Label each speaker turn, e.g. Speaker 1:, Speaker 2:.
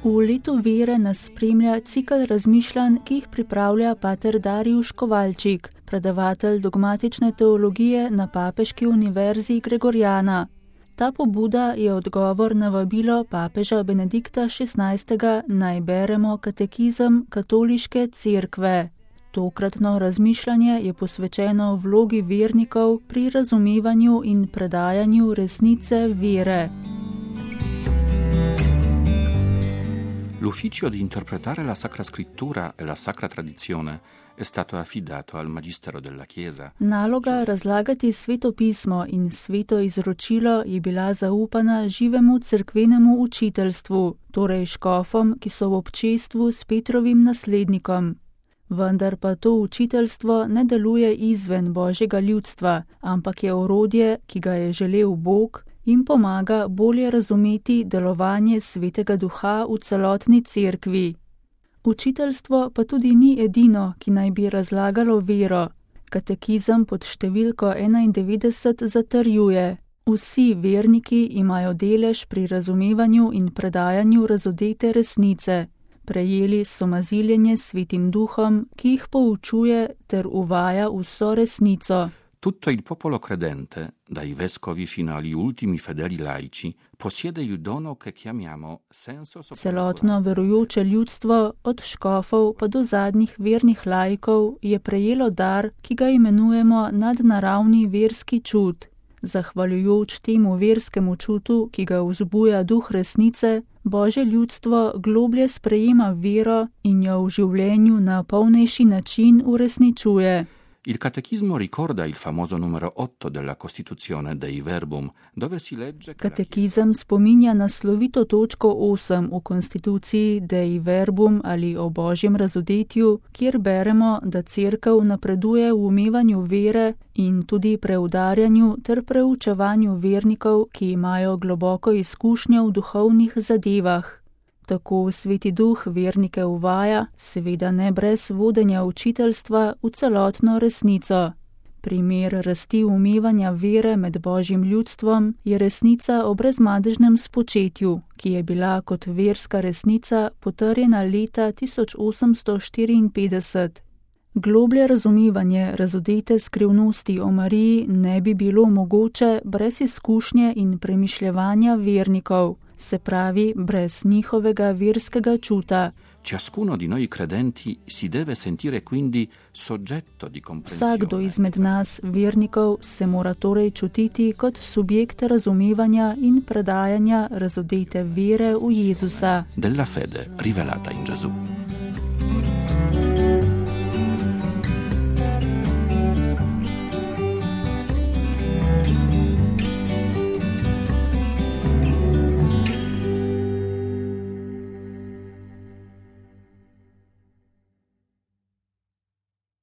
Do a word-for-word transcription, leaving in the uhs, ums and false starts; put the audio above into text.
Speaker 1: V letu vere nas spremlja cikel razmišljanj, ki jih pripravlja pater Darijuš Kovalčik, predavatelj dogmatične teologije na Papeški univerzi Gregorjana. Ta pobuda je odgovor na vabilo papeža Benedikta šestnajstega naj beremo katekizem katoliške cerkve. Tokratno razmišljanje je posvečeno vlogi vernikov pri razumevanju in predajanju resnice vere.
Speaker 2: L'ufficio di interpretare la Sacra Scrittura e la Sacra Tradizione è stato affidato al Magistero della Chiesa.
Speaker 1: Naloga razlagati sveto pismo in sveto izročilo je bila zaupana živemu cerkvenemu učiteljstvu, torej škofom, ki so v občestvu s Petrovim naslednikom. Vendar pa to učiteljstvo ne deluje izven Božjega ljudstva, ampak je orodje, ki ga je želel Bog, in pomaga bolje razumeti delovanje Svetega Duha v celotni cerkvi. Učiteljstvo pa tudi ni edino, ki naj bi razlagalo vero. Katekizem pod številko enaindevetdeset zatrjuje: vsi verniki imajo delež pri razumevanju in predajanju razodete resnice. Prejeli so maziljenje s Svetim Duhom, ki jih poučuje ter uvaja vso resnico.
Speaker 2: Tutto il popolo credente, dai vescovi fino agli ultimi fedeli laici, possiede il dono che chiamiamo senso soprannaturale.
Speaker 1: Celotno verujoče ljudstvo, od škofov pa do zadnjih vernih laikov, je prejelo dar, ki ga imenujemo nadnaravni verski čut. Zahvaljujoč temu verskemu čutu, ki ga vzbuja duh resnice, Božje ljudstvo globlje sprejema vero in jo v življenju na polnejši način uresničuje.
Speaker 2: Il catechismo ricorda il famoso numero otto della Costituzione Dei Verbum, dove si legge che
Speaker 1: Katekizem spominja na slovito točko osem v konstituciji Dei Verbum ali o Božjem razodetju, kjer beremo, da cerkev napreduje v umevanju vere in tudi preudarjanju ter preučevanju vernikov, ki imajo globoko izkušnjo v duhovnih zadevah. Tako Sveti Duh vernike uvaja, seveda ne brez vodenja učiteljstva, v celotno resnico. Primer rasti umevanja vere med Božjim ljudstvom je resnica o brezmadežnem spočetju, ki je bila kot verska resnica potrjena leta tisoč osemsto štiriinpetdeset. Globlje razumevanje razodete skrivnosti o Mariji ne bi bilo mogoče brez izkušnje in premišljevanja vernikov, se pravi brez njihovega verskega čuta.
Speaker 2: Ciascuno di noi credenti si deve sentire quindi soggetto di comprensione.
Speaker 1: Vsakdo izmed nas, vernikov, se mora torej čutiti kot subjekt razumevanja in predajanja razodete vere v Jezusa.
Speaker 2: Della fede rivelata in Gesù.